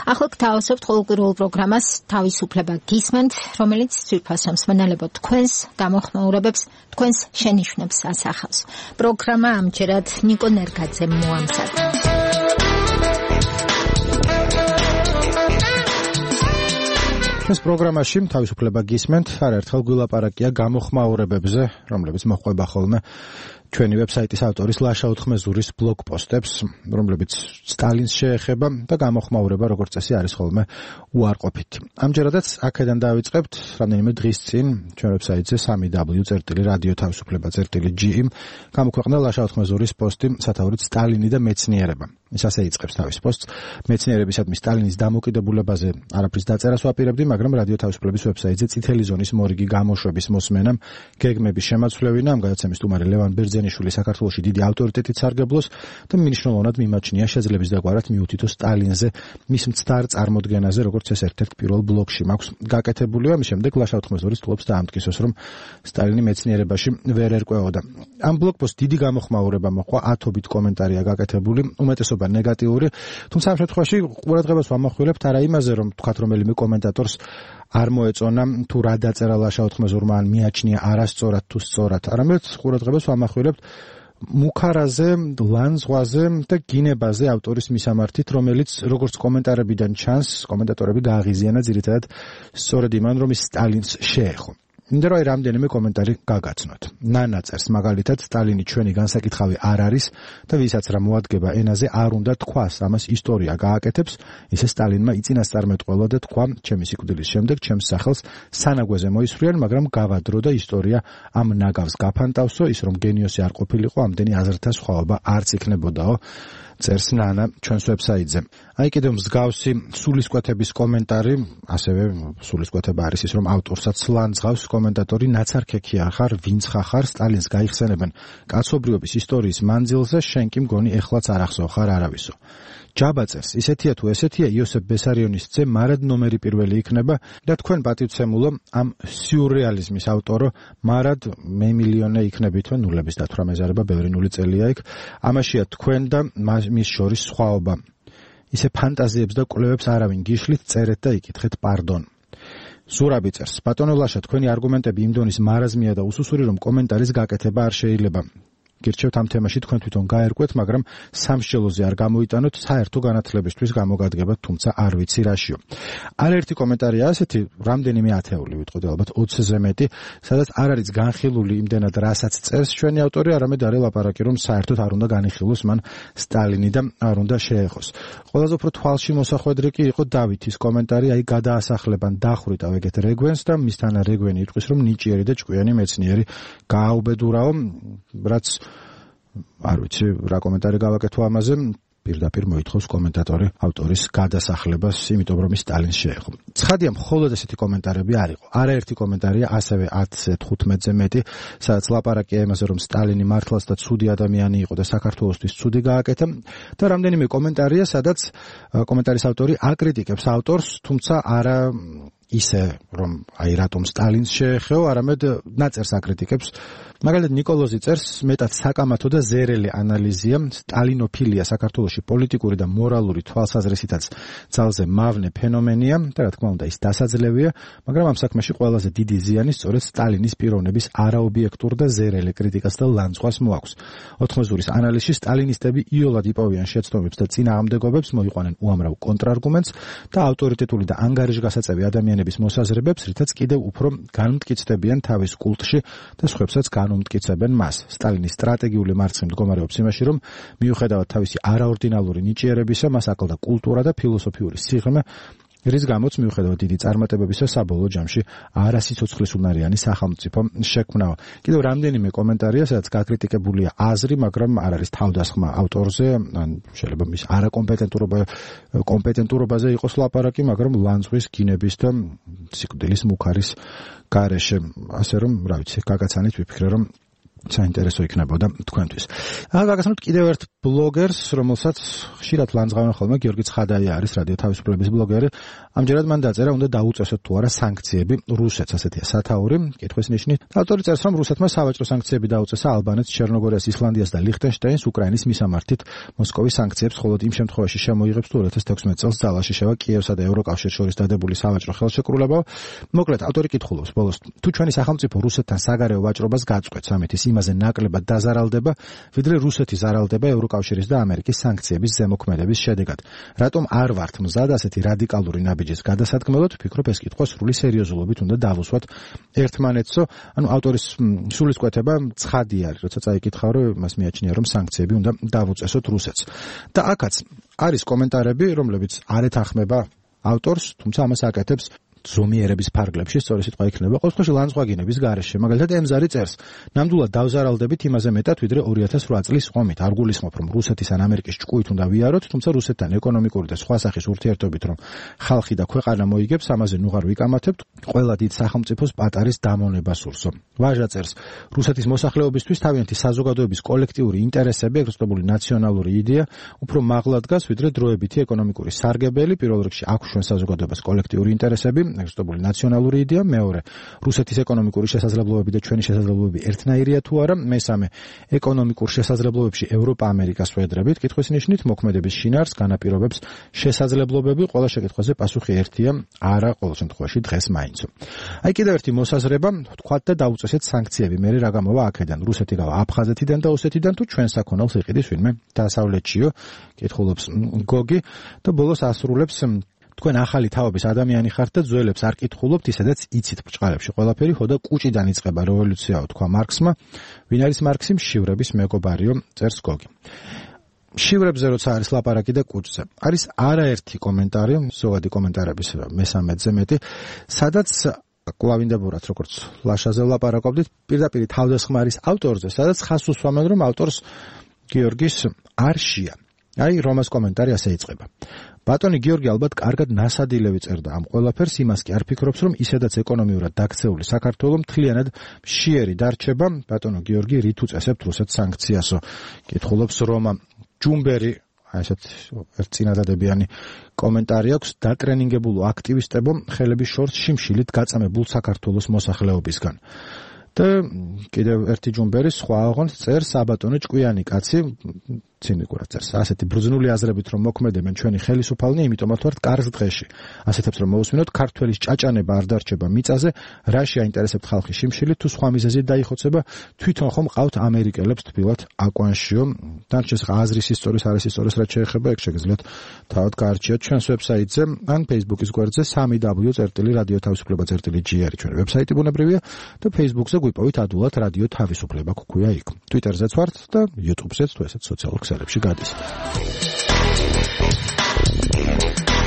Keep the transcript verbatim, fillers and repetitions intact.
ახლა გთავაზობთ ყოველკვირეულ პროგრამას თავისუფლება გისმენთ, რომელიც ძვირფასო მსმენელებო თქვენს გამოხმაურებებს, თქვენს შენიშვნებს ასახავს. პროგრამა ამჯერად ნიკო ნერგაძემ მოამზადა. ეს პროგრამაში თავისუფლება გისმენთ, არაერთხელ გვილაპარაკია გამოხმაურებებზე, რომლებიც მოჰყვება ხოლმე ჩვენი ვებსაიტის ავტორის ლაშა ოთხმეზურის ბლოგ პოსტებს, რომლებიც სტალინს შეეხება და გამოხმაურება როგორც წესი არის ხოლმე უარყოფითი. ამჯერადაც აქედან დავიწყებთ რამდენიმე დღის წინ ჩვენ ვებსაიტზე სამი დაბლიუ წერტილი რადიო თავისუფლება წერტილი ჯი იმ გამოქვეყნდა ლაშა ოთხმეზურის პოსტი სათაურით სტალინი და მეცნიერება. ის ასე იწყებს თავის პოსტს. მეცნიერებისადმი სტალინის დამოკიდებულებაზე არაფრის დაწერას ვაპირებდი, მაგრამ რადიო თავისუფლების ვებსაიტზე წითელი ზონის მორიგი გამოშვების მოსმენამ გეგმების შემაცვლევინა ამ გადაცემის სტუმარი ლევან ბერძენიშვილი საქართველოში დიდი ავტორიტეტით სარგებლობს და მნიშვნელოვნად მიმაჩნია შეძლების დაგვარად მიუთითო სტალინზე მის მცდარ წარმოდგენაზე, როგორც ეს ერთ-ერთ პირველ ბლოგში მაქვს გაკეთებული. ამის შემდეგ ლაშა ოთხმეზურის თლობს დაამტკიცოს, რომ სტალინი მეცნიერებაში ვერ ერკვეოდა. ამ ბლოგ პოსტს დიდი გამოხმაურება მოჰყვა, ათობით კომენტარია გაკეთებული, უმეტესობა ნეგატიური, თუმცა ამ შემთხვევაში ყურადღებას ვამახვილებთ არა იმაზე, რომ თქვათ რომელიმე კომენტატორს არ მოეწონა თუ რა დაწერა ლაშა ოთხმეზურმა ან მიაჩნია არასწორად თუ სწორად, არამედ ყურადღებას ვამახვილებთ მუქარაზე, ლანძღვაზე და გინებაზე ავტორის მისამართით, რომელიც როგორც კომენტარებიდან ჩანს, კომენტატორები გააღიზიანა ძირითადად სწორედ იმან, რომ ის სტალინს შეეხო. მინდა რომ რამდენიმე კომენტარი გაგაცნოთ. ნანა წერს მაგალითად, სტალინი ჩვენი განსაკითხავი არ არის და ვისაც რა მოადგება ენაზე არ უნდა თქვას, ამას ისტორია გააკეთებს, ისე სტალინმა იწინასწარმეტყველა და თქვა ჩემი სიკვდილის შემდეგ ჩემს სახელს სანაგვეზე მოისვრიან, მაგრამ გავადრო და ისტორია ამ ნაგავს გაფანტავსო, ის რომ გენიოსი არ ყოფილიყო, ამდენი აზრთა სხვაობა არც იქნებოდაო. წერს ნანა ჩვენს ვებსაიტზე. აი კიდევ მსგავსი სულისკვეთების კომენტარი, ასევე სულისკვეთება არის ის, რომ ავტორსაც ლანძღავს კომენტატორი ნაცარქექია ხარ, ვინც ხარ, სტალინს გაიხსენებენ კაცობრიობის ისტორიის მანძილზე, შენ კი მგონი ეხლაც არ ახსოვ ხარ არავისო. ჯაბა წერს, ისეთია თუ ესეთია იოსებ ბესარიონის ძე მარად ნომერი პირველი იქნება და თქვენ პატივცემულო ამ სიურრეალიზმის ავტორო მარად მე მილიონე იქნებითო, ნულების დათვრა მეზარება, ბევრი ნული წელია იქ. ამაშია თქვენ და მის შორის სხვაობა. ისე ფანტაზიებს და კვლევებს არავინ გიშლით, წერეთ და იკითხეთ პარდონ. ზურაბი წერს, ბატონო ლაშა, თქვენი არგუმენტები იმ დონის მარაზმია და უსუსური, რომ კომენტარის გაკეთება არ შეიძლება. გირჩევთ ამ თემაში თქვენ თვითონ გაერკვეთ, მაგრამ სამსჯელოზე არ გამოიტანოთ, საერთო განათლებისთვის გამოგადგებათ, თუმცა არ ვიცი რაშიო. არაერთი კომენტარია ასეთი, რამდენიმე ათეული ვიტყოდი, ალბათ ოცზე მეტი, სადაც არ არის განხილული იმდენად რასაც წერს ჩვენი ავტორი, არამედ არის ლაპარაკი, რომ საერთოდ არ უნდა განიხილოს მან სტალინი და არ უნდა შეეხოს. ყველაზე უფრო თვალში მოსახვედრი კი იყო დავითის კომენტარი, აი გადაასახლებან დახვრიტავ ეგეთ რეგვენს და მისთან რეგვენი იტყვის, რომ ნიჭიერი და ჭკვიანი მეცნიერი გააუბედურაო, რაც არ ვიცი რა კომენტარი გავაკეთო ამაზე, პირდაპირ მოითხოვს კომენტატორი ავტორის გადასახლებას, იმიტომ რომ ის სტალინს შეეხო. ცხადია, მხოლოდ ესეთი კომენტარები არ იყო. არაერთი კომენტარია, ასევე ათზე თხუთმეტზე მეტი, სადაც ლაპარაკია იმაზე, რომ სტალინი მართლაც და ცუდი ადამიანი იყო და საქართველოსთვის ცუდი გააკეთა და რამდენიმე კომენტარია, სადაც კომენტარის ავტორი აკრიტიკებს ავტორს, თუმცა არა ისე, რომ აი რატომ სტალინს შეეხო, არამედ ნაწერს აკრიტიკებს. მაგალითად ნიკოლოზი წერს, მეტად საკამათო და ზერელი ანალიზია, სტალინოფილია საქართველოში პოლიტიკური და მორალური თვალსაზრისითაც ძალზე მავნე ფენომენია და რა თქმა უნდა ის დასაძლევია, მაგრამ ამ საქმეში ყველაზე დიდი ზიანი სწორედ სტალინის პიროვნების არაობიექტურ და ზერელი კრიტიკას და ლანძღვას მოაქვს. ოთხმეზურის ანალიზში სტალინისტები იოლად იპოვიან შეცდომებს და წინააღმდეგობებს, მოიყვანენ უამრავ კონტრარგუმენტს და ავტორიტეტული და ანგარიშგასაწევი ადამიანების მოსაზრებებს, რითაც კიდევ უფრო განმტკიცდებიან თავის კულტში და სხვებსაც განუმტკიცებენ მას. სტალინის სტრატეგიული მარცხი მდგომარეობს იმაში, რომ მიუხედავად თავისი არაორდინალური ნიჭიერებისა, მას აკლდა კულტურა და ფილოსოფიური სიღრმე, რის გამოც მიუხედავად დიდი წარმატებებისა საბოლოო ჯამში არასიცოცხლისუნარიანი სახელმწიფო შექმნა. კიდევ რამდენიმე კომენტარია, სადაც გაკრიტიკებულია აზრი, მაგრამ არ არის თავდასხმა ავტორზე, ან შეიძლება მის არაკომპეტენტურობა კომპეტენტურობაზე იყოს ლაპარაკი, მაგრამ ლანძღვის, გინების და სიკვდილის მუქარის გარეშე. ასე რომ, რა ვიცი, გაგაცანით ვიფიქრე, რომ საინტერესო იქნებოდა თქვენთვის. ახლა გაგაცნობთ კიდევ ერთ ბლოგერს, რომელსაც ხშირად ლანძღავენ ხოლმე, გიორგი ცხადაია არის რადიო თავისუფლების ბლოგერი. ამჯერად მან დაწერა, უნდა დაუწესოთ თუ არა სანქციები რუსეთს, ასეთია სათაური, კითხვის ნიშნით. ავტორი წერს, რომ რუსეთმა სავაჭრო სანქციები დაუწესა ალბანეთს, ჩერნოგორიას, ისლანდიას და ლიხტენშტაინს უკრაინის მისამართით მოსკოვის სანქციებს, ხოლო იმ შემთხვევაში შემოიღებს თუ ორი ათას თექვსმეტ წელს ძალაში შევა კიევსა და ევროკავშირს შორის დადებული სავაჭრო ხელშეკრულება. მოკლედ, ავტორი კითხულობს ბოლოს, თუ ჩვენი სახელმწიფო რუსეთთან საგარეო ვაჭრობას გაწყვეტს, ამით იმაზე ნაკლებად დაზარალდება, ვიდრე რუსეთი ზარალდება ევროკავშირის და ამერიკის სანქციების ზემოქმედების შედეგად. რატომ არ ვართ მზად ასეთი რადიკალური ნაბიჯის გადასადგმელად? ვფიქრობ, ეს კითხვა სრული სერიოზულობით უნდა დავუსვათ ერთმანეთსო. ანუ ავტორის სულისკვეთება ცხადი არის, როცა წაიკითხა, რომ მას მიაჩნია, რომ სანქციები უნდა დავუწესოთ რუსეთს. და აქაც არის კომენტარები, რომლებიც არ ეთანხმება ავტორს, თუმცა ამას აკეთებს ზომიერების ფარგლებში, სწორი სიტყვა იქნება. ყოველ შემთხვევაში ლანძღვაგინების გარეშე, მაგალითად ემზარი წერს, ნამდვილად დავზარალდებით იმაზე მეტად, ვიდრე ორი ათას ოთხ წლის ომით. არ გულისხმობ, რომ რუსეთის ან ამერიკის ჭკუით უნდა ვიაროთ, თუმცა რუსეთთან ეკონომიკური და სხვა სახის ურთიერთობით, რომ ხალხი და ქვეყანა მოიგებს, ამაზე ნუღარ ვიკამათებთ, ყველა დიდ სახელმწიფოს პატარის დამონება სურსო. ვაჟა წერს, რუსეთის მოსახლეობისთვის თავიანთი საზოგადოების კოლექტიური ინტერესები, ეგრეთ წოდებული ნაციონალური იდეა, უფრო მაღლა დგას, ვიდრე დროებითი ეკონომიკური სარგებელი, პირველ რიგში აქვს ჩვენ საზოგადოებას კოლექტიური ინტერესები, ეგრეთწოდებული ნაციონალური იდეა, მეორე რუსეთის ეკონომიკური შესაძლებლობები და ჩვენი შესაძლებლობები ერთნაირია თუ არა, მესამე ეკონომიკურ შესაძლებლობებში ევროპა ამერიკას ვედრებით, კითხვის ნიშნით მოქმედების შინაარსს განაპირობებს შესაძლებლობები, ყველა შეკითხვაზე პასუხი ერთია, არა ყოველ შემთხვევაში დღეს მაინც. აი კიდევ ერთი მოსაზრება, თქვათ და დაუწესეთ სანქციები, მე რა გამოვა აქედან, რუსეთი გავა აფხაზეთიდან და ოსეთიდან თუ ჩვენ საქონელს იყიდის ვინმე დასავლეთშიო, კითხულობს გოგი და ბოლოს ასრულებს, თქვენ ახალი თაობის ადამიანი ხართ და ძველებს არ კითხულობთ, ისედაც იცით ბჭყალებში ყველაფერი, ხო და კუჭიდან იწყება რევოლუციაო, თქვა მარქსმა. ვინ არის მარქსი? მშივრების მეგობარიო, წერს გოგი. მშივრებზე როცა არის ლაპარაკი და კუჭზე, არის არაერთი კომენტარი, ზოგადი კომენტარების მესამედზე მეტი, სადაც კლავინდებურად, როგორც ლაშაზე ვლაპარაკობდით, პირდაპირ თავდასხმარის ავტორზე, სადაც ხაზს უსვამენ, რომ ავტორს გიორგის არ შეა. აი, რომას კომენტარი ასე იწყება. ბატონი გიორგი ალბათ კარგად ნასადილევი წერდა ამ ყველაფერს, იმას კი არ ფიქრობს, რომ ისედაც ეკონომიურად დაქცეული საქართველო მთლიანად მშიერი დარჩება. ბატონო გიორგი, რით უწესებთ რუსეთს სანქციასო? კითხულობს რომა. ჯუმბერი, აი ესეთ ერთ წინადადებიანი კომენტარი აქვს, დატრენინგებულო აქტივისტებო ხელების შორს შიმშილით გაწამებულ საქართველოს მოსახლეობისგან. და კიდევ ერთი ჯუმბერი სხვა აღონს წერს, საბატონო ჭკვიანი კაცი, ცინიკურად წერს, ასეთი ბრძნული აზრებით რომ მოქმედებენ ჩვენი ხელისუფალნი, იმიტომაც ვართ კარგ დღეში. ასეთებს რომ მოусმინოთ, ქართველის ჭაჭანება არ დარჩება მიწაზე, რაში აინტერესებთ ხალხი შიმშილით, თუ სხვა მიზეზით დაიხოცება, თვითონ ხომ ყავთ ამერიკელებს თბილად აკვანშიო. დანარჩენს აზრის ისტორიის, არის ისტორიის რაც შეეხება, ეგ შეგიძლიათ თავად გაარჩიოთ ჩვენს ვებსაიტზე, ან Facebook-ის გვერდზე სამი დაბლიუ წერტილი რადიო თავისუფლება წერტილი ჯი არის ჩვენი ვებსაიტი ბუნებრივია და Facebook-ზე გვიპოვით ადვილად რადიო თავისუფლება გქვია იქ. Twitter-ზეც ვართ და YouTube-ზეც თუ ესეც სოციალურ ქსელებში გადის.